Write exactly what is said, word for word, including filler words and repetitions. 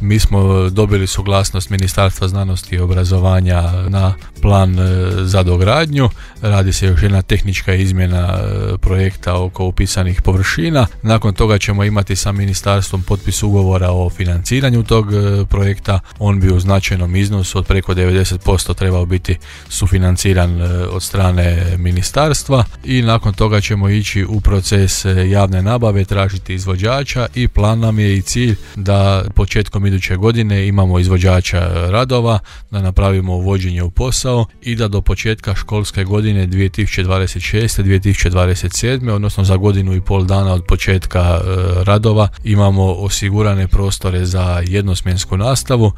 Mi smo dobili suglasnost Ministarstva znanosti i obrazovanja na plan za dogradnju. Radi se još jedna tehnička izmjena projekta oko upisanih površina. Nakon toga ćemo imati sa ministarstvom potpis ugovora o financiranju tog projekta. On bi u značajnom iznosu od preko devedeset posto trebao biti sufinanciran od strane ministarstva i nakon toga ćemo ići u proces javne nabave, tražiti izvođača i plan nam je i cilj da početkom iduće godine imamo izvođača radova, da napravimo uvođenje u posao i da do početka školske godine dvije tisuće dvadeset šeste dvije tisuće dvadeset sedme, odnosno za godinu i pol dana od početka radova, imamo osigurane prostore za jednosmjensku nastavu